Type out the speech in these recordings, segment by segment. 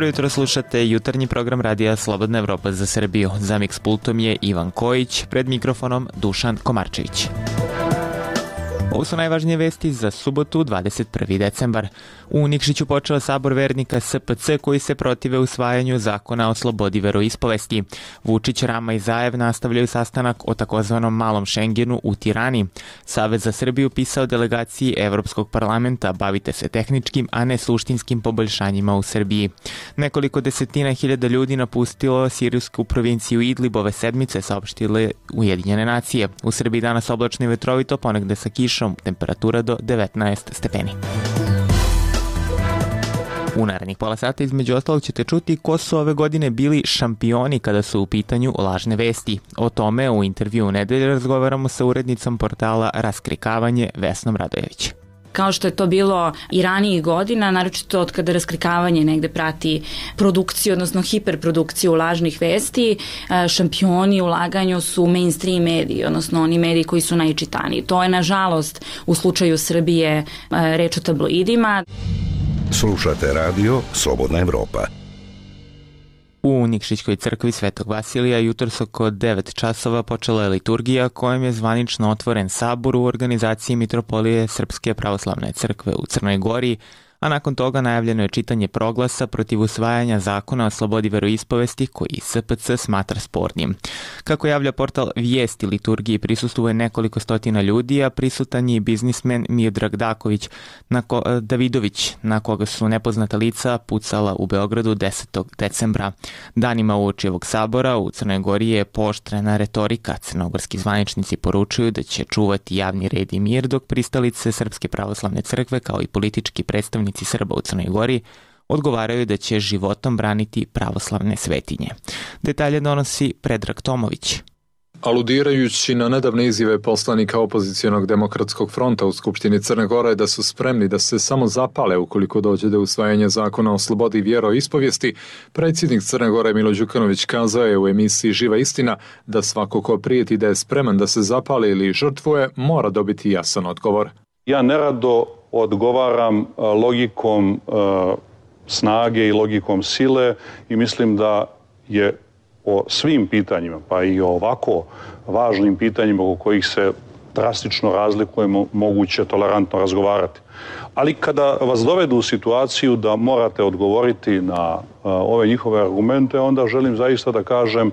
Dobro jutro, slušate jutarnji program Radija Slobodna Evropa za Srbiju. Za Mix pultom je Ivan Kojić, pred mikrofonom Dušan Komarčević. Ovo su najvažnije vesti za subotu, 21. decembar. U Nikšiću počeo sabor vernika SPC koji se protive usvajanju zakona o slobodi veroispovesti. Vučić, Rama i Zaev nastavljaju sastanak o takozvanom malom Šengenu u Tirani. Savez za Srbiju pisao delegaciji Evropskog parlamenta: bavite se tehničkim, a ne suštinskim poboljšanjima u Srbiji. Nekoliko desetina hiljada ljudi napustilo sirijsku provinciju Idlib ove sedmice, saopštile Ujedinjene nacije. U Srbiji danas oblačno i vetrovito, ponegde sa kišom, temperatura do 19 stepeni. U narednih pola sata između ostalog ćete čuti ko su ove godine bili šampioni kada su u pitanju lažne vesti. O tome u intervju u nedelju razgovaramo sa urednicom portala Raskrikavanje Vesnom Radojević. Kao što je to bilo i ranijih godina, naročito od kada Raskrikavanje negde prati produkciju, odnosno hiperprodukciju lažnih vesti, šampioni u laganju su mainstream mediji, odnosno oni mediji koji su najčitaniji. To je, nažalost, u slučaju Srbije reč o tabloidima. Slušate radio Slobodna Evropa. U Nikšićkoj crkvi Svetog Vasilija jutros oko 9 časova počela je liturgija kojom je zvanično otvoren sabor u organizaciji Mitropolije Srpske pravoslavne crkve u Crnoj Gori, a nakon toga najavljeno je čitanje proglasa protiv usvajanja zakona o slobodi veroispovesti koji SPC smatra spornim. Kako javlja portal Vijesti, liturgiji prisustvuje nekoliko stotina ljudi, a prisutan je i biznismen Miodrag Davidović, na koga su nepoznata lica pucala u Beogradu 10. decembra. Danima uoči ovog sabora u Crnoj Gori je pooštrena retorika. Crnogorski zvaničnici poručuju da će čuvati javni red i mir, dok pristalice Srpske pravoslavne crkve kao i politički predstavnici Srba u Crnoj Gori odgovaraju da će životom braniti pravoslavne svetinje. Detalje donosi Predrag Tomović. Aludirajući na nedavne izjave poslanika opozicionog demokratskog fronta u Skupštini Crne Gore da su spremni da se samo zapale ukoliko dođe do usvajanja zakona o slobodi vjeroispovijesti, predsjednik Crne Gore Milo Đukanović kazao je u emisiji Živa istina da svako ko prijeti da je spreman da se zapali ili žrtvuje mora dobiti jasan odgovor. Ja nerado odgovaram logikom snage i logikom sile i mislim da je o svim pitanjima, pa i o ovako važnim pitanjima oko kojih se drastično razlikujemo, moguće tolerantno razgovarati. Ali kada vas dovedu u situaciju da morate odgovoriti na ove njihove argumente, onda želim zaista da kažem,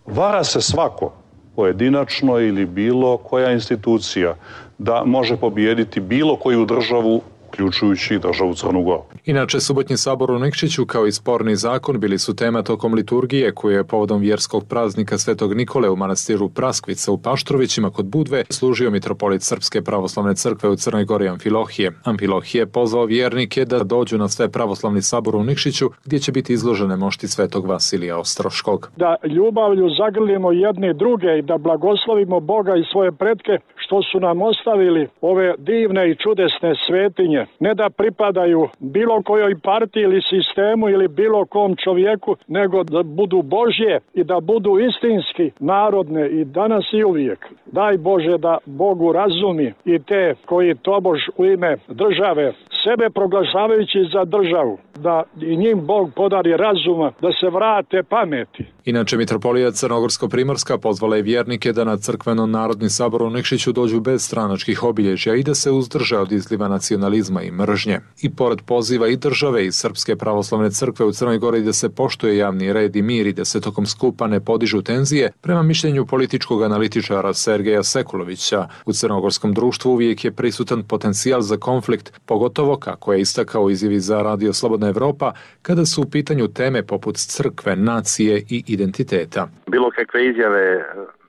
vara se svako pojedinačno ili bilo koja institucija da može pobijediti bilo koju državu, uključujući državu Crnu Goru. Inače, subotnji sabor u Nikšiću kao i sporni zakon bili su tema tokom liturgije koje je povodom vjerskog praznika Svetog Nikole u manastiru Praskvica u Paštrovićima kod Budve služio mitropolit Srpske pravoslavne crkve u Crnoj Gori Amfilohije. Amfilohije pozvao vjernike da dođu na sve pravoslavni sabor u Nikšiću gdje će biti izložene mošti Svetog Vasilija Ostroškog. Da ljubavlju zagrlimo jedne druge i da blagoslovimo Boga i svoje pretke što su nam ostavili ove divne i čudesne svetinje. Ne da pripadaju bilo kojoj partiji ili sistemu ili bilo kom čovjeku, nego da budu Božje i da budu istinski narodne i danas i uvijek. Daj Bože da Bogu razumi i te koji tobož u ime države, sebe proglašavajući za državu, da i njim Bog podari razuma, da se vrate pameti. Inače, mitropolija Crnogorsko-Primorska pozvala je vjernike da na crkveno-narodni sabor u Nikšiću dođu bez stranačkih obilježja i da se uzdrže od izliva nacionalizma i mržnje. I pored poziva i države i Srpske pravoslavne crkve u Crnoj Gori da se poštuje javni red i mir i da se tokom skupa ne podižu tenzije, prema mišljenju političkog analitičara Sergeja Sekulovića, u crnogorskom društvu uvijek je prisutan potencijal za konflikt, pogotovo kako je istakao izjavi za Radio Slobodna Evropa, kada su u pitanju teme poput crkve, nacije i identiteta. Bilo kakve izjave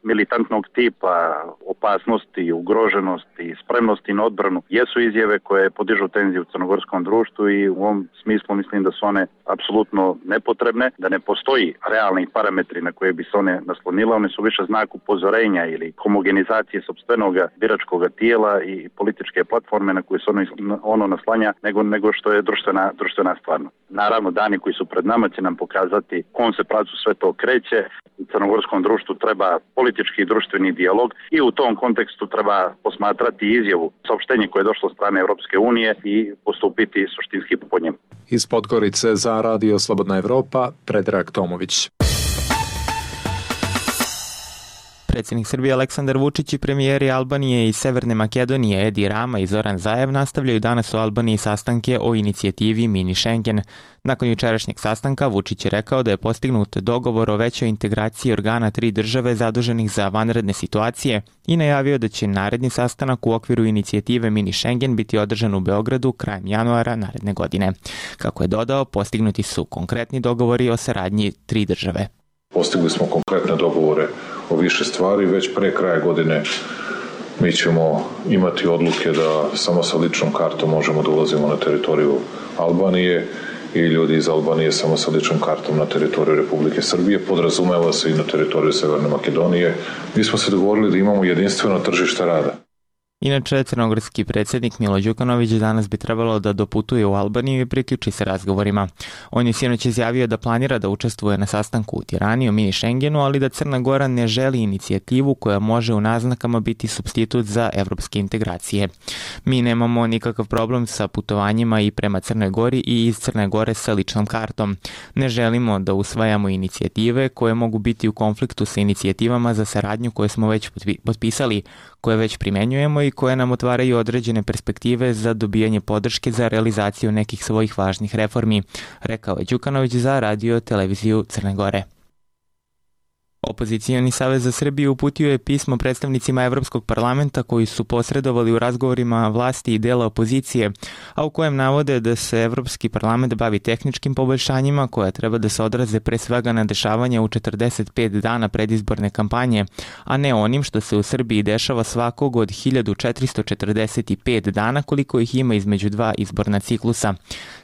militantnog tipa, opasnosti, ugroženosti, spremnosti na odbranu, jesu izjave koje podižu tenziju u crnogorskom društvu i u ovom smislu mislim da su one apsolutno nepotrebne, da ne postoji realni parametri na koje bi se one naslonile, one su više znak upozorenja ili homogenizacije sopstvenog biračkog tijela i političke platforme na koje se ono naslanja nego što je društvena stvarnost. Naravno, dani koji su pred nama će nam pokazati kom se pravcu sve to kreće. U crnogorskom društvu treba politička politički i društveni dijalog i u tom kontekstu treba posmatrati izjavu, saopštenje koje je došlo od strane Europske unije i postupiti suštinski po njemu. Iz Podgorice za Radio Slobodna Evropa, Predrag Tomović. Predsjednik Srbije Aleksandar Vučić i premijeri Albanije i Severne Makedonije Edi Rama i Zoran Zaev nastavljaju danas u Albaniji sastanke o inicijativi Mini Schengen. Nakon jučerašnjeg sastanka Vučić je rekao da je postignut dogovor o većoj integraciji organa 3 države zaduženih za vanredne situacije i najavio da će naredni sastanak u okviru inicijative Mini Schengen biti održan u Beogradu krajem januara naredne godine. Kako je dodao, postignuti su konkretni dogovori o saradnji 3 države. Postigli smo konkretne dogovore o više stvari. Već pre kraja godine mi ćemo imati odluke da samo sa ličnom kartom možemo da ulazimo na teritoriju Albanije i ljudi iz Albanije samo sa ličnom kartom na teritoriju Republike Srbije. Podrazumeva se i na teritoriju Severne Makedonije. Mi smo se dogovorili da imamo jedinstveno tržište rada. Inače, crnogorski predsjednik Milo Đukanović danas bi trebalo da doputuje u Albaniju i priključi se razgovorima. On je sinoć izjavio da planira da učestvuje na sastanku u Tirani o mini Schengenu, ali da Crna Gora ne želi inicijativu koja može u naznakama biti supstitut za evropske integracije. Mi nemamo nikakav problem sa putovanjima i prema Crnoj Gori i iz Crne Gore sa ličnom kartom. Ne želimo da usvajamo inicijative koje mogu biti u konfliktu sa inicijativama za saradnju koje smo već potpisali, koje već primenjujemo i koje nam otvaraju određene perspektive za dobijanje podrške za realizaciju nekih svojih važnih reformi, rekao je Đukanović za radio televiziju Crne Gore. Opozicioni savez za Srbiju uputio je pismo predstavnicima Evropskog parlamenta koji su posredovali u razgovorima vlasti i dela opozicije, a u kojem navode da se Evropski parlament bavi tehničkim poboljšanjima koja treba da se odraze pre svega na dešavanja u 45 dana predizborne kampanje, a ne onim što se u Srbiji dešava svakog od 1445 dana koliko ih ima između 2 izborna ciklusa.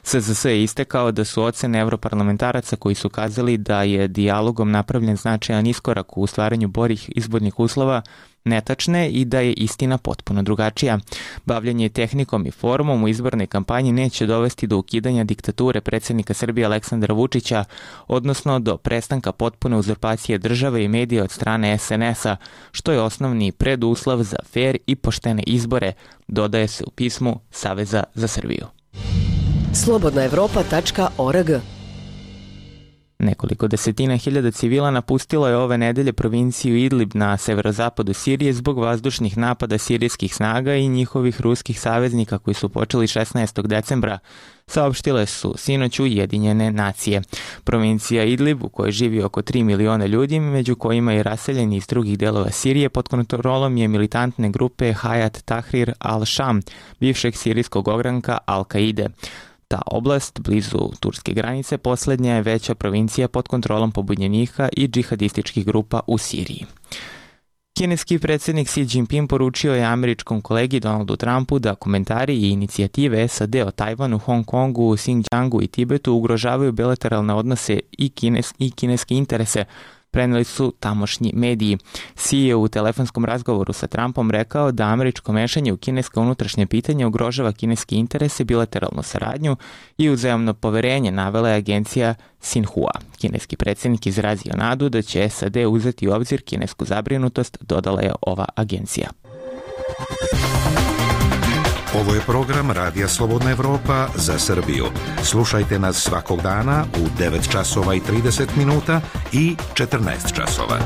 SZS je istekao da su ocene evroparlamentaraca koji su kazali da je dijalogom napravljen značajan iskorak u stvaranju boljih izbornih uslova netačne i da je istina potpuno drugačija. Bavljanje tehnikom i formom u izbornoj kampanji neće dovesti do ukidanja diktature predsjednika Srbije Aleksandra Vučića, odnosno do prestanka potpune uzurpacije države i medija od strane SNS-a, što je osnovni preduslov za fer i poštene izbore, dodaje se u pismu Saveza za Srbiju. Slobodnaevropa.org. Nekoliko desetina hiljada civila napustilo je ove nedelje provinciju Idlib na severozapadu Sirije zbog vazdušnih napada sirijskih snaga i njihovih ruskih saveznika koji su počeli 16. decembra, saopštile su sinoć Ujedinjene nacije. Provincija Idlib, u kojoj živi oko 3 miliona ljudi, među kojima i raseljeni iz drugih delova Sirije, pod kontrolom je militantne grupe Hayat Tahrir al-Sham, bivšeg sirijskog ogranka Al-Kaide. Ta oblast, blizu turske granice, posljednja je veća provincija pod kontrolom pobunjenika i džihadističkih grupa u Siriji. Kineski predsjednik Xi Jinping poručio je američkom kolegi Donaldu Trumpu da komentari i inicijative SAD o Tajvanu, Hong Kongu, Xinjiangu i Tibetu ugrožavaju bilateralne odnose i kineske interese, preneli su tamošnji mediji. Xi je u telefonskom razgovoru sa Trumpom rekao da američko mešanje u kineska unutrašnje pitanje ugrožava kineske interese, bilateralnu saradnju i uzajamno poverenje, navela je agencija Xinhua. Kineski predsjednik izrazio nadu da će SAD uzeti u obzir kinesku zabrinutost, dodala je ova agencija. Ovo je program Radija Slobodna Evropa za Srbiju. Slušajte nas svakog dana u 9 časova i 30 minuta i 14 časova.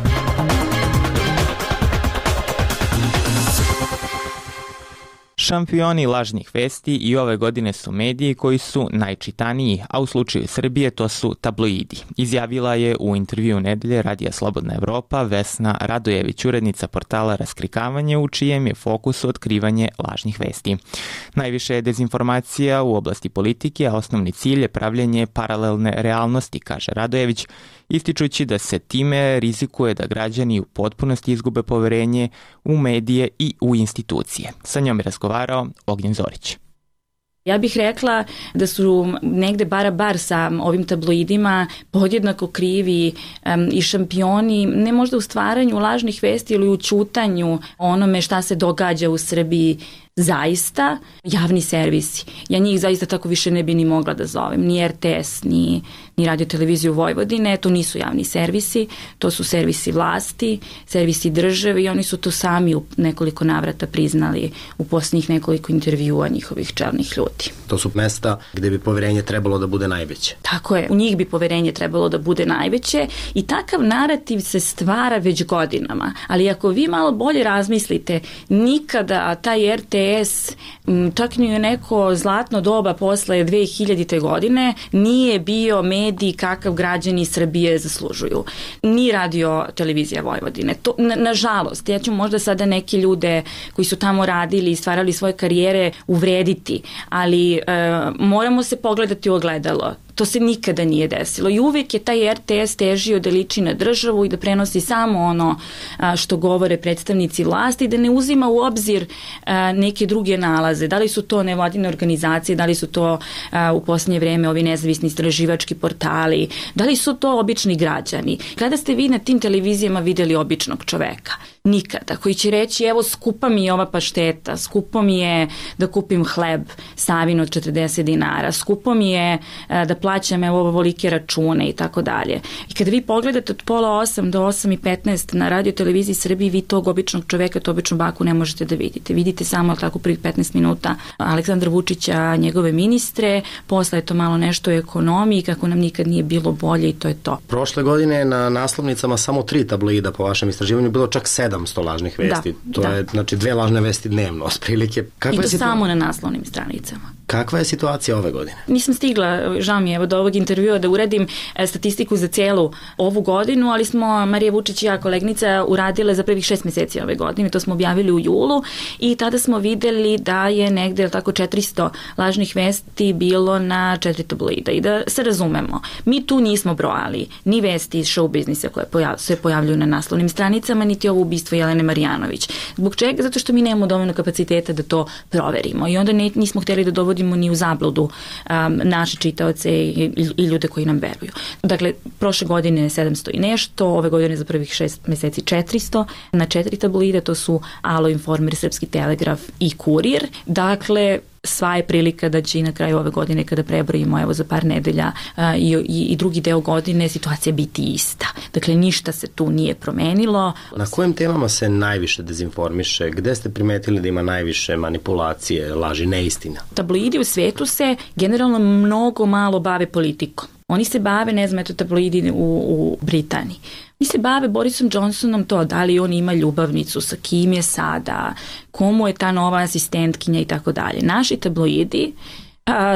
Šampioni lažnih vesti i ove godine su mediji koji su najčitaniji, a u slučaju Srbije to su tabloidi. Izjavila je u intervju nedelje Radija Slobodna Evropa Vesna Radojević, urednica portala Raskrikavanje, u čijem je fokusu otkrivanje lažnih vesti. Najviše je dezinformacija u oblasti politike, a osnovni cilj je pravljenje paralelne realnosti, kaže Radojević, ističući da se time rizikuje da građani u potpunosti izgube poverenje u medije i u institucije. Sa njom je razgovarao Ognjen Zorić. Ja bih rekla da su negde bar sa ovim tabloidima podjednako krivi i šampioni, ne možda u stvaranju lažnih vesti ili u ćutanju onome šta se događa u Srbiji zaista javni servisi. Ja njih zaista tako više ne bi ni mogla da zovem. Ni RTS, ni Radio televiziju Vojvodine, to nisu javni servisi, to su servisi vlasti, servisi države i oni su to sami u nekoliko navrata priznali u posljednjih nekoliko intervjua njihovih čelnih ljudi. To su mesta gde bi poverenje trebalo da bude najveće. Tako je, u njih bi poverenje trebalo da bude najveće i takav narativ se stvara već godinama. Ali ako vi malo bolje razmislite, nikada taj RTS, čak ni u neko zlatno doba posle 2000. godine, nije bio medij kakav građani Srbije zaslužuju. Ni Radio televizija Vojvodine. To, nažalost, ja ću možda sada neke ljude koji su tamo radili i stvarali svoje karijere uvrediti, ali moramo se pogledati u ogledalo. To se nikada nije desilo i uvijek je taj RTS težio da liči na državu i da prenosi samo ono što govore predstavnici vlasti, da ne uzima u obzir neke druge nalaze. Da li su to nevladine organizacije, da li su to u posljednje vreme ovi nezavisni istraživački portali, da li su to obični građani. Kada ste vi na tim televizijama videli običnog čoveka? Nikada. Koji će reći, evo skupa mi je ova pašteta, skupo mi je da kupim hleb Savin od 40 dinara, skupo mi je da plaćam evo ovolike račune i tako dalje. I kada vi pogledate od 7:30 do 8:15 na Radio televiziji Srbiji, vi tog običnog čoveka, to običnu baku ne možete da vidite. Vidite samo tako prvih 15 minuta Aleksandra Vučića, njegove ministre, posle je to malo nešto o ekonomiji, kako nam nikad nije bilo bolje i to je to. Prošle godine na naslovnicama samo 3 tabloida po vašem istraživanju bilo čak 700 lažnih vesti. Je znači 2 lažne vesti dnevno, otprilike. I to samo na naslovnim stranicama. Kakva je situacija ove godine? Nisam stigla, žao mi je, evo do ovog intervjua da uradim statistiku za cijelu ovu godinu, ali smo, Marija Vučić i ja, kolegnica, uradile za prvih 6 meseci ove godine, to smo objavili u julu i tada smo videli da je negde tako 400 lažnih vesti bilo na 4 tabloida. I da se razumemo, mi tu nismo brojali ni vesti iz show biznisa koje se pojavljuju na naslovnim stranicama, niti ovo ubistvo Jelene Marjanović. Zbog čega? Zato što mi nemamo dovoljno kapaciteta da to proverimo i onda nismo htjeli da dovodimo ni u zabludu naše čitaoce i ljude koji nam veruju. Dakle, prošle godine 700 i nešto, ove godine za prvih 6 meseci 400, na 4 tabloide, to su Alo, Informer, Srpski telegraf i Kurir. Dakle, sva je prilika da će i na kraju ove godine, kada prebrojimo evo za par nedelja i drugi deo godine, situacija biti ista. Dakle, ništa se tu nije promenilo. Na kojim temama se najviše dezinformiše? Gde ste primetili da ima najviše manipulacije, laži, neistina? Tabloidi u svetu se generalno mnogo malo bave politikom. Oni se bave, ne znam, eto tabloidi u Britaniji. Mi se bave Borisom Johnsonom, to da li on ima ljubavnicu, sa kim je sada, komu je ta nova asistentkinja i tako dalje. Naši tabloidi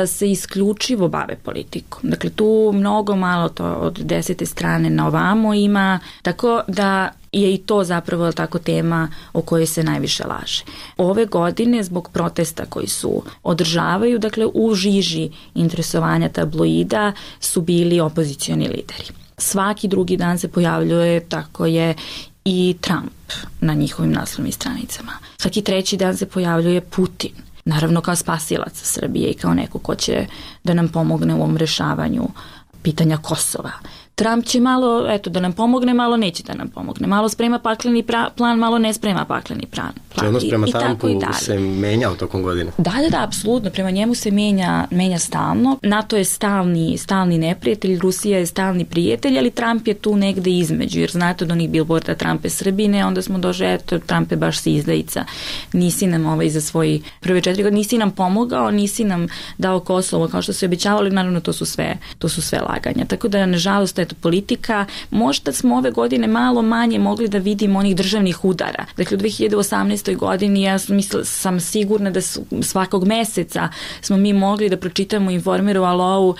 se isključivo bave politikom. Dakle, tu mnogo malo to od 10. strane na ovamo ima, tako da je i to zapravo tako tema o kojoj se najviše laže. Ove godine, zbog protesta koji su održavaju, dakle, u žiži interesovanja tabloida su bili opozicioni lideri. Svaki drugi dan se pojavljuje, tako je, i Trump na njihovim naslovnim stranicama. Svaki treći dan se pojavljuje Putin. Naravno kao spasilac Srbije i kao neko ko će da nam pomogne u ovom rešavanju pitanja Kosova. Trump će malo, eto, da nam pomogne, malo neće da nam pomogne. Malo sprema pakleni plan, malo ne sprema pakleni plan. Odnos prema Trumpu se menjao tokom godine? Da, apsolutno. Prema njemu se menja stalno. NATO je stalni neprijatelj, Rusija je stalni prijatelj, ali Trump je tu negde između, jer znate od onih bilborda Trump je Srbine, onda smo došli, eto, Trump je baš si izdajica. Nisi nam za svoji prve 4 godine, nisi nam pomogao, nisi nam dao Kosovo kao što se obećavali, naravno to su sve laganja. Tako da, nažalost, politika, možda smo ove godine malo manje mogli da vidimo onih državnih udara. Dakle, u 2018. godini ja sam sigurna da svakog meseca smo mi mogli da pročitamo Informeru Alou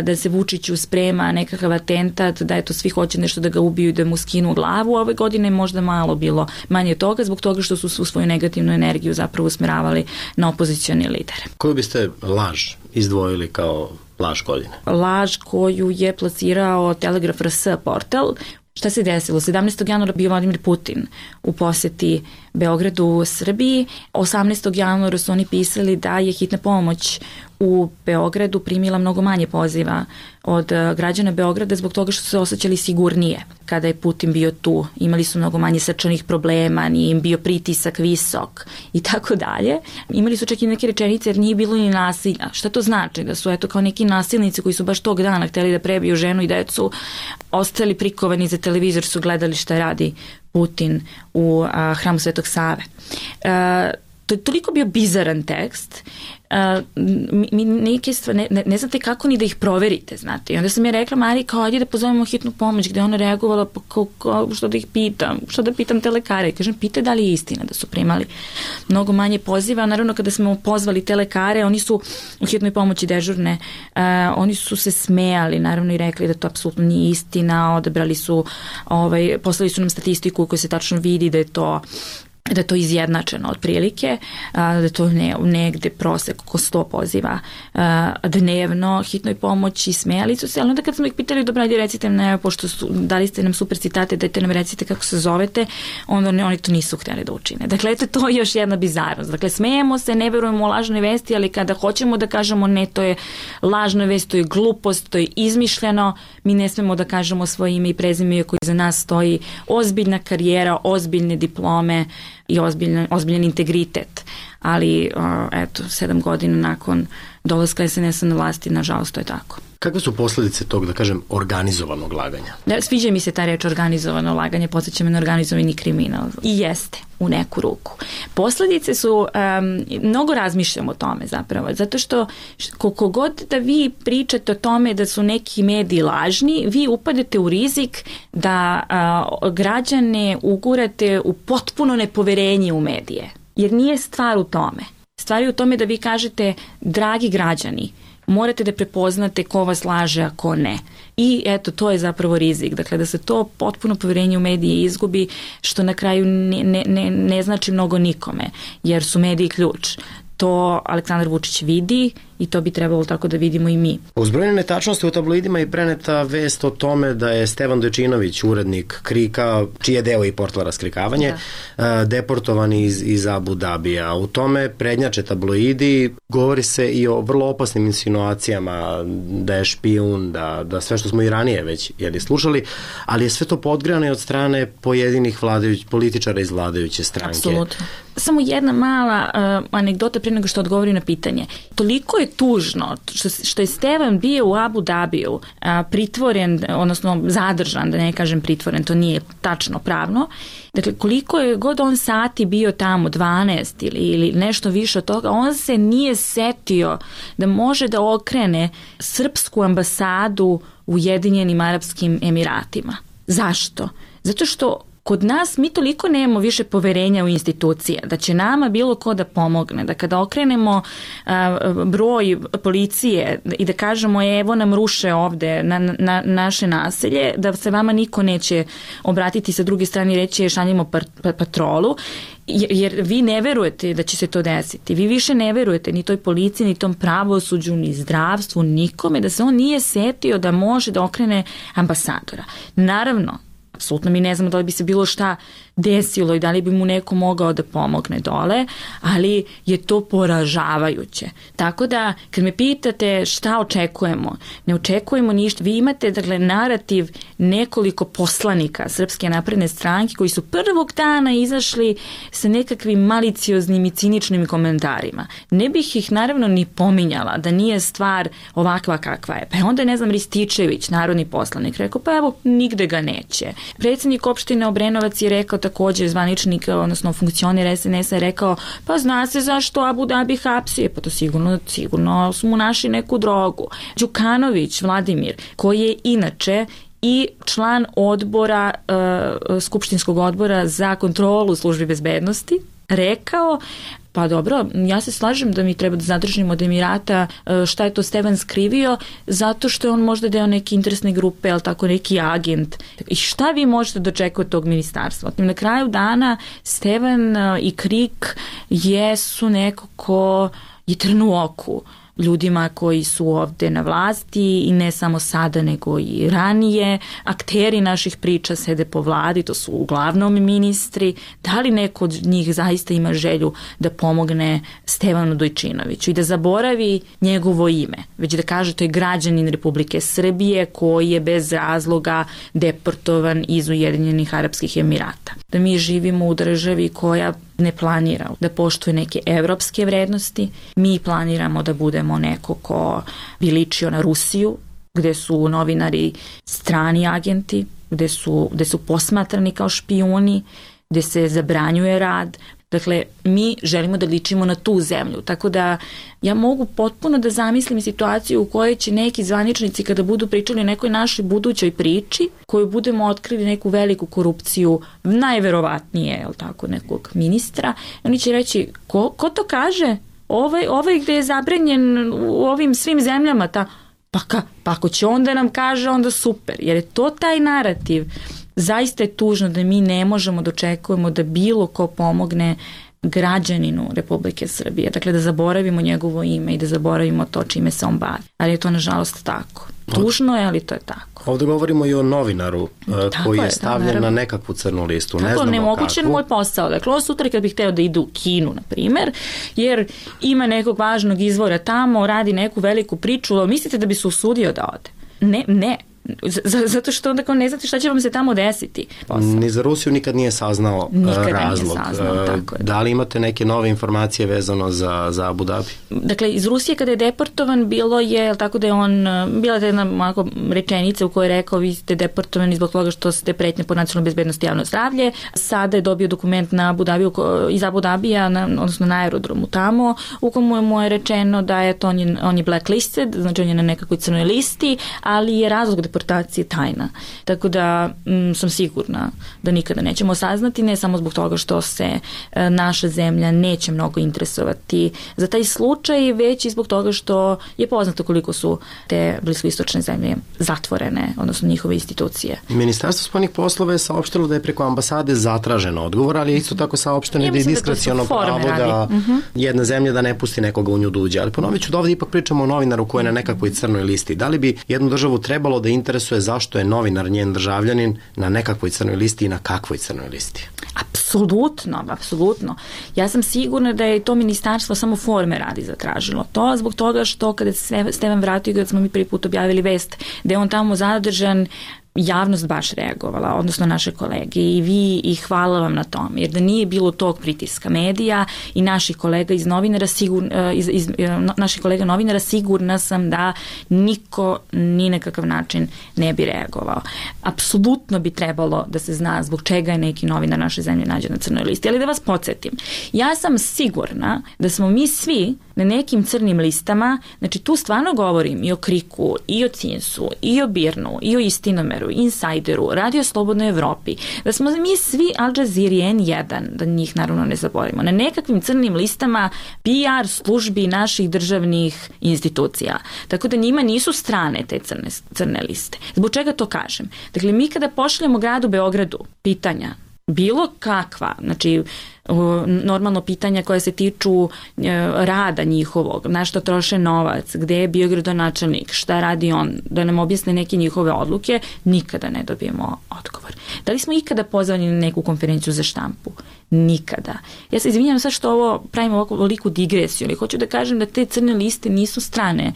da se Vučiću sprema nekakav atentat, da eto svi hoće nešto da ga ubiju i da mu skinu glavu. Ove godine je možda malo bilo manje toga, zbog toga što su svu svoju negativnu energiju zapravo usmeravali na opozicioni lidere. Koju biste laž izdvojili kao laž godine? Laž koju je plasirao Telegraf RS portal. Šta se desilo? 17. januara bio Vladimir Putin u poseti Beogradu, Srbiji. 18. januara su oni pisali da je hitna pomoć u Beogradu primila mnogo manje poziva od građana Beograda zbog toga što su se osjećali sigurnije kada je Putin bio tu. Imali su mnogo manje srčanih problema, nije im bio pritisak visok i tako dalje. Imali su čak i neke rečenice jer nije bilo ni nasilja. Šta to znači? Da su eto kao neki nasilnici koji su baš tog dana hteli da prebiju ženu i decu, ostali prikovani za televizor, su gledali šta radi Putin u hramu Svetog Save. To je toliko bio bizaran tekst, mi neke stvari, ne znate kako ni da ih proverite, znate. I onda sam ja rekla Mariji kao, ajde da pozovemo hitnu pomoć, gde ona reagovala, pa što da ih pitam, što da pitam te lekare. I kažem, pitaj da li je istina da su primali mnogo manje poziva. Naravno, kada smo pozvali te lekare, oni su u hitnoj pomoći dežurne, oni su se smejali, naravno, i rekli da to apsolutno nije istina, odabrali su, poslali su nam statistiku koja se tačno vidi da je to izjednačeno otprilike, da je to negde prosek oko 100 poziva dnevno hitnoj pomoći, smejali su se, ali onda kad smo ih pitali, dobro, ajde recite nam, pošto dali ste nam super citate, dajte nam recite kako se zovete, onda oni to nisu htjeli da učine. Dakle, eto, to je još jedna bizarnost. Dakle, smejemo se, ne verujemo u lažne vesti, ali kada hoćemo da kažemo ne, to je lažna vest, to je glupost, to je izmišljeno, mi ne smemo da kažemo svoje ime i prezime koji za nas stoji ozbiljna karijera, ozbiljne diplome i ozbiljan integritet. Ali, eto, 7 godina nakon dolaska SNS-a na vlasti, nažalost, to je tako. Kakve su posljedice tog, da kažem, organizovanog laganja? Sviđa mi se ta reč organizovano laganje, podsjeća me na organizovani kriminal. I jeste, u neku ruku. Posljedice su, mnogo razmišljam o tome zapravo, zato što koliko god da vi pričate o tome da su neki mediji lažni, vi upadete u rizik da građane ugurate u potpuno nepoverenje u medije. Jer nije stvar u tome. Stvar je u tome da vi kažete, dragi građani, morate da prepoznate ko vas laže, a ko ne. I eto, to je zapravo rizik. Dakle, da se to potpuno poverenje u medije izgubi, što na kraju ne znači mnogo nikome, jer su mediji ključ. To Aleksandar Vučić vidi i to bi trebalo tako da vidimo i mi. Uz brojne netačnosti u tabloidima je preneta vest o tome da je Stevan Dojčinović, urednik Krika, čiji je deo i portala Raskrikavanje, deportovan iz Abu Dabija. U tome prednjače tabloidi, govori se i o vrlo opasnim insinuacijama da je špijun, da sve što smo i ranije već slušali, ali je sve to podgrejano od strane pojedinih političara iz vladajuće stranke. Apsolutno. Samo jedna mala anegdota prije nego što odgovori na pitanje. Toliko je tužno što je Stevan bio u Abu Dabiju pritvoren, odnosno zadržan, da ne kažem pritvoren, to nije tačno pravno. Dakle, koliko je god on sati bio tamo, 12 ili nešto više od toga, on se nije setio da može da okrene srpsku ambasadu u Ujedinjenim Arapskim Emiratima. Zašto? Zato što kod nas mi toliko nemamo više poverenja u institucije, da će nama bilo ko da pomogne, da kada okrenemo broj policije i da kažemo evo nam ruše ovde na naše naselje, da se vama niko neće obratiti sa druge strane i reći šaljemo patrolu, jer vi ne verujete da će se to desiti. Vi više ne verujete ni toj policiji, ni tom pravosuđu, ni zdravstvu, nikome, da se on nije setio da može da okrene ambasadora. Naravno, apsolutno mi ne znamo da li bi se bilo šta desilo i da li bi mu neko mogao da pomogne dole, ali je to poražavajuće. Tako da, kad me pitate šta očekujemo, ne očekujemo ništa. Vi imate, dakle, narativ nekoliko poslanika Srpske napredne stranke koji su prvog dana izašli sa nekakvim malicioznim i ciničnim komentarima. Ne bih ih naravno ni pominjala da nije stvar ovakva kakva je. Pa onda, ne znam, Rističević, narodni poslanik, rekao, pa evo, nigde ga neće. Predsjednik opštine Obrenovac je rekao, također zvaničnik, odnosno funkcioner SNS-a je rekao, pa zna se zašto Abu Dabi hapsi, pa to sigurno su mu našli neku drogu. Đukanović Vladimir, koji je inače i član odbora, skupštinskog odbora za kontrolu službi bezbednosti, rekao, pa dobro, ja se slažem da mi treba da zadržimo od Emirata šta je to Stevan skrivio, zato što je on možda deo neke interesne grupe, ali tako neki agent. I šta vi možete dočekati od tog ministarstva? Na kraju dana Stevan i Krik jesu neko ko je trn u oku ljudima koji su ovde na vlasti i ne samo sada nego i ranije. Akteri naših priča sede po vladi, to su uglavnom ministri. Da li neko od njih zaista ima želju da pomogne Stevanu Dojčinoviću i da zaboravi njegovo ime, već da kaže to je građanin Republike Srbije koji je bez razloga deportovan iz Ujedinjenih Arapskih Emirata. Da mi živimo u državi koja ne planira da poštuje neke evropske vrednosti. Mi planiramo da budemo neko ko bi ličio na Rusiju, gde su novinari strani agenti, gde su posmatrani kao špijuni, gde se zabranjuje rad. Dakle, mi želimo da ličimo na tu zemlju, tako da ja mogu potpuno da zamislim situaciju u kojoj će neki zvaničnici kada budu pričali o nekoj našoj budućoj priči, koju budemo otkrili neku veliku korupciju, najverovatnije, je li tako, nekog ministra, oni će reći, ko to kaže? Ovaj gde je zabranjen u ovim svim zemljama, pa ako će on da nam kaže, onda super, jer je to taj narativ. Zaista je tužno da mi ne možemo da očekujemo da bilo ko pomogne građaninu Republike Srbije. Dakle, da zaboravimo njegovo ime i da zaboravimo to čime se on bavi. Ali je to nažalost tako. Tužno je, ali to je tako. Ovdje govorimo i o novinaru koji je stavljen na nekakvu crnu listu. Ne znamo nemogućen moj posao. Dakle, ovo sutra kad bih hteo da ide u Kinu, na primer, jer ima nekog važnog izvora tamo, radi neku veliku priču, mislite da bi se usudio da ode? Ne. Zato što onda kao ne znate šta će vam se tamo desiti. Ni za Rusiju nikad nije saznao razlog. Da li imate neke nove informacije vezano za Abu Dhabi? Dakle, iz Rusije kada je deportovan bila je jedna rečenica u kojoj je rekao vi ste deportovani zbog toga što ste pretnje po nacionalnoj bezbednosti i javno zdravlje. Sada je dobio dokument na Abu Dhabiju, iz Abu Dhabija, odnosno na aerodromu tamo, u komu mu je rečeno da je to on je blacklisted, znači on je na nekakvoj crnoj listi, ali je razlog deportacije tajna. Tako da sam sigurna da nikada nećemo saznati, ne samo zbog toga što se naša zemlja neće mnogo interesovati za taj slučaj, već i zbog toga što je poznato koliko su te bliskoistočne zemlje zatvorene, odnosno njihove institucije. Ministarstvo spoljnih poslova je saopštilo da je preko ambasade zatražen odgovor, ali je isto tako saopšteno da je diskreciono pravo da jedna zemlja da ne pusti nekoga u nju da uđe. Ali ponovit ću da ovdje ipak pričamo o novinaru koji je na nekakvoj crnoj listi. Da li bi jednu državu trebalo da interesuje zašto je novinar, njen državljanin, na nekakvoj crnoj listi i na kakvoj crnoj listi? Apsolutno. Ja sam sigurna da je to ministarstvo samo forme radi zatražilo. To zbog toga što kada se Stevan vratio, kada smo mi prvi put objavili vest da je on tamo zadržan, javnost baš reagovala, odnosno naše kolege i vi, i hvala vam na tome, jer da nije bilo tog pritiska medija i naših kolega iz novinara, naših kolega novinara, sigurna sam da niko ni na kakav način ne bi reagovao. Apsolutno bi trebalo da se zna zbog čega je neki novinar naše zemlje nađen na crnoj listi, ali da vas podsjetim, ja sam sigurna da smo mi svi na nekim crnim listama, znači tu stvarno govorim i o Kriku, i o Cinsu, i o Birnu, i o Istinomeru, Insajderu, Radio Slobodnoj Evropi, da smo mi svi Al Jazeera N1, da njih naravno ne zaboravimo, na nekakvim crnim listama PR službi naših državnih institucija. Tako da njima nisu strane te crne liste. Zbog čega to kažem? Dakle, mi kada pošaljemo gradu Beogradu pitanja, bilo kakva, znači normalno pitanja koja se tiču rada njihovog, na što troše novac, gde je bio gradonačelnik, šta radi on, da nam objasne neke njihove odluke, nikada ne dobijemo odgovor. Da li smo ikada pozvani na neku konferenciju za štampu? Nikada. Ja se izvinjam sad što ovo pravimo ovako veliku digresiju, ali hoću da kažem da te crne liste nisu strane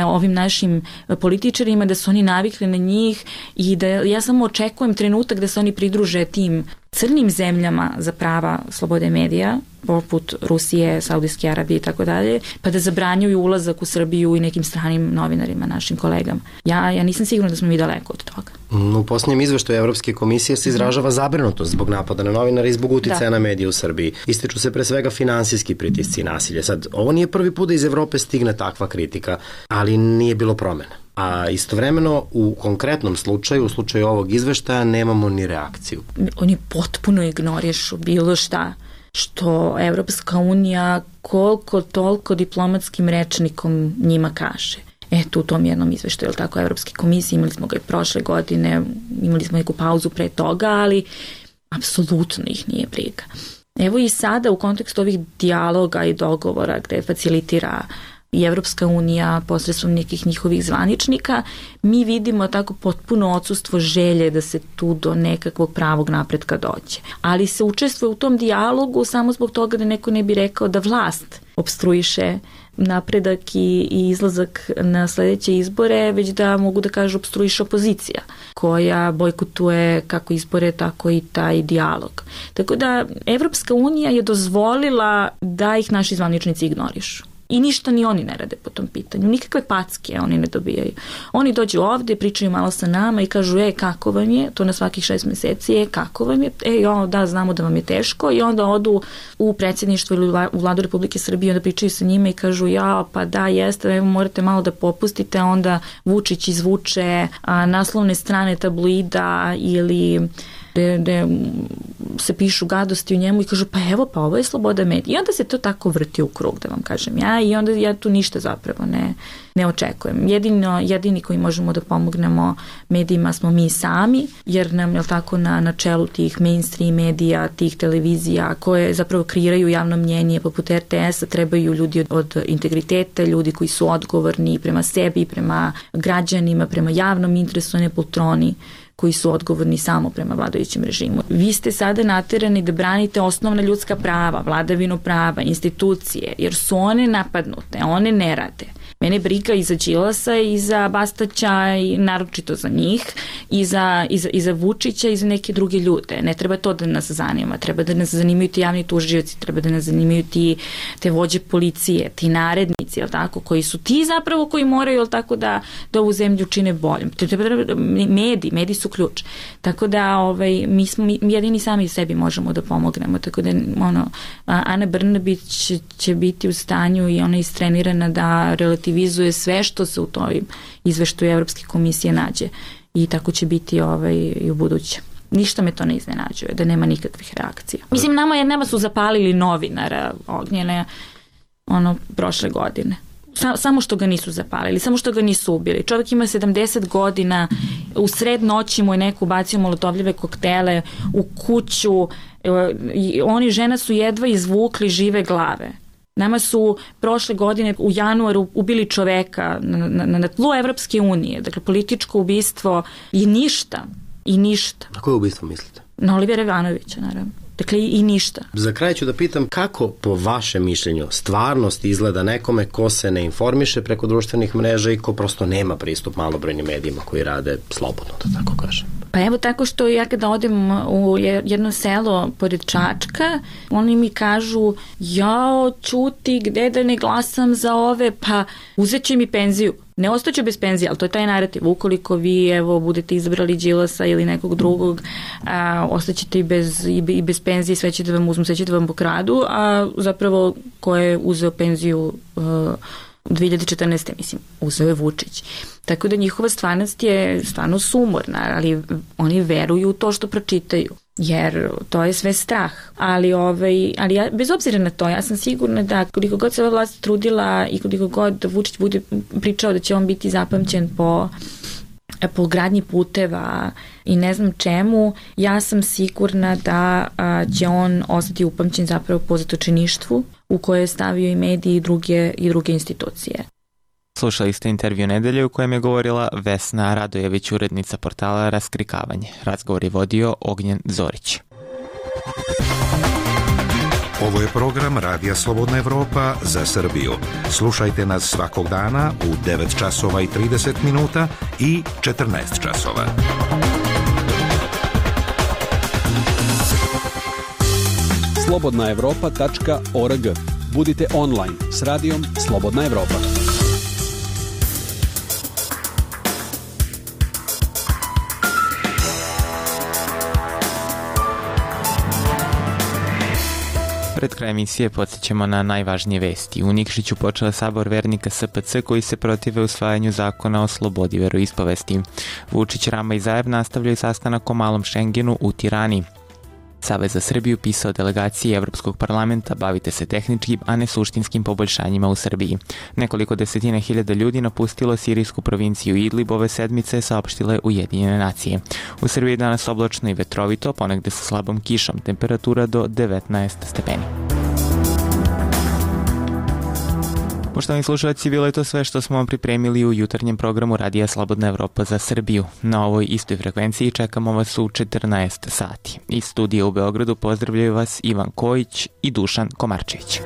ovim našim političarima, da su oni navikli na njih i da ja samo očekujem trenutak da se oni pridruže tim crnim zemljama za prava slobode medija, poput Rusije, Saudijske Arabije i tako dalje, pa da zabranjuju ulazak u Srbiju i nekim stranim novinarima, našim kolegama. Ja nisam sigurna da smo mi daleko od toga. U posljednjem izveštaju Evropske komisije se izražava zabrinutost zbog napada na novinara i zbog uticaja na medije u Srbiji. Ističu se pre svega finansijski pritisci i nasilje. Sad, ovo nije prvi put da iz Evrope stigne takva kritika, ali nije bilo promena. A istovremeno u konkretnom slučaju, u slučaju ovog izveštaja, nemamo ni reakciju. Oni potpuno ignorišu bilo šta što Evropska unija koliko toliko diplomatskim rečnikom njima kaže. Eto, u tom jednom izveštaju, ili tako, Evropske komisije, imali smo ga i prošle godine, imali smo neku pauzu pre toga, ali apsolutno ih nije briga. Evo i sada u kontekstu ovih dijaloga i dogovora gde facilitira i Evropska unija posredstvom nekih njihovih zvaničnika, mi vidimo tako potpuno odsustvo želje da se tu do nekakvog pravog napretka dođe. Ali se učestvuje u tom dijalogu samo zbog toga da neko ne bi rekao da vlast opstruiše napredak i izlazak na sledeće izbore, već da mogu da kažu opstruiše opozicija, koja bojkotuje kako izbore, tako i taj dijalog. Tako da Evropska unija je dozvolila da ih naši zvaničnici ignorišu. I ništa ni oni ne rade po tom pitanju. Nikakve packe oni ne dobijaju. Oni dođu ovde, pričaju malo sa nama i kažu, kako vam je, to na svakih 6 meseci, kako vam je, da, znamo da vam je teško, i onda odu u predsjedništvo ili u Vladu Republike Srbije, onda pričaju sa njima i kažu, pa da, jeste, evo morate malo da popustite, onda Vučić izvuče naslovne strane tabloida ili gde se pišu gadosti u njemu i kažu, pa ovo je sloboda medija. I onda se to tako vrti u krug, da vam kažem ja, i onda ja tu ništa zapravo ne očekujem. Jedini koji možemo da pomognemo medijima smo mi sami, jer nam, je tako, na čelu tih mainstream medija, tih televizija koje zapravo kreiraju javno mnjenje poput RTS-a, trebaju ljudi od integriteta, ljudi koji su odgovorni prema sebi, prema građanima, prema javnom interesu, ne poltroni koji su odgovorni samo prema vladajućem režimu. Vi ste sada naterani da branite osnovna ljudska prava, vladavinu prava, institucije, jer su one napadnute, one ne rade. Mene briga i za Đilasa i za Bastaća, i naročito za njih, i za Vučića i za neke druge ljude. Ne treba to da nas zanima, treba da nas zanimaju ti javni tužioci, treba da nas zanimaju te vođe policije, ti narednici, jel tako, koji su ti zapravo koji moraju, jel tako, da ovu zemlju čine boljom. Mediji su ključ. Tako da mi jedini sami sebi možemo da pomognemo. Tako da Ana Brnabić će biti u stanju, i ona je istrenirana da relativizuje sve što se u toj izveštaju Evropske komisije nađe, i tako će biti i u buduće. Ništa me to ne iznenađuje, da nema nikakvih reakcija. Mislim, nama su zapalili novinara Ognjene prošle godine. Samo što ga nisu zapalili, samo što ga nisu ubili. Čovjek ima 70 godina, u sred noći mu je neko bacio molotovljive koktele u kuću, žena su jedva izvukli žive glave. Nama su prošle godine u januaru ubili čoveka na tlu Evropske unije, dakle političko ubistvo i ništa. Na koje ubistvo mislite? Na Olivera Ivanovića, naravno. Dakle, i ništa. Za kraj ću da pitam kako, po vašem mišljenju, stvarnost izgleda nekome ko se ne informiše preko društvenih mreža i ko prosto nema pristup malobrojnim medijima koji rade slobodno, da tako kažem. Pa evo, tako što ja kada odem u jedno selo pored Čačka, oni mi kažu, ćuti, gde da ne glasam za ove, pa uzet će mi penziju. Ne ostaću bez penzije, ali to je taj narativ. Ukoliko vi, budete izabrali Đilasa ili nekog drugog, ostaćete i bez penzije, sve će da vam uzmu, sve će da vam pokradu, a zapravo ko je uzeo penziju 2014. mislim, uzeo je Vučić. Tako da njihova stvarnost je stvarno sumorna, ali oni veruju u to što pročitaju, jer to je sve strah. Ali ja, bez obzira na to, ja sam sigurna da koliko god se ova vlast trudila i koliko god Vučić bude pričao da će on biti zapamćen po gradnji puteva i ne znam čemu, ja sam sigurna da će on ostati upamćen zapravo po zatočeništvu u koje je stavio i mediji i druge institucije. Slušali ste intervju nedelje u kojem je govorila Vesna Radojević, urednica portala Raskrikavanje. Razgovor je vodio Ognjen Zorić. Ovo je program Radija Slobodna Evropa za Srbiju. Slušajte nas svakog dana u 9 časova i 30 minuta i 14 časova. slobodnaevropa.org. Budite online s radijom Slobodna Evropa. Pred kraj emisije podsjećamo na najvažnije vesti. U Nikšiću počela sabor vernika SPC koji se protive usvajanju zakona o slobodi veroispovesti. Vučić, Rama i Zaev nastavljaju sastanak o malom Šengenu u Tirani. Savez za Srbiju pisao delegaciji Evropskog parlamenta bavite se tehničkim, a ne suštinskim poboljšanjima u Srbiji. Nekoliko desetina hiljada ljudi napustilo sirijsku provinciju Idlib ove sedmice, saopštile Ujedinjene nacije. U Srbiji danas oblačno i vetrovito, ponegde sa slabom kišom, temperatura do 19 stepeni. Poštovani slušalci, bilo je to sve što smo vam pripremili u jutarnjem programu Radija Slobodna Evropa za Srbiju. Na ovoj istoj frekvenciji čekamo vas u 14 sati. Iz studija u Beogradu pozdravljaju vas Ivan Kojić i Dušan Komarčević.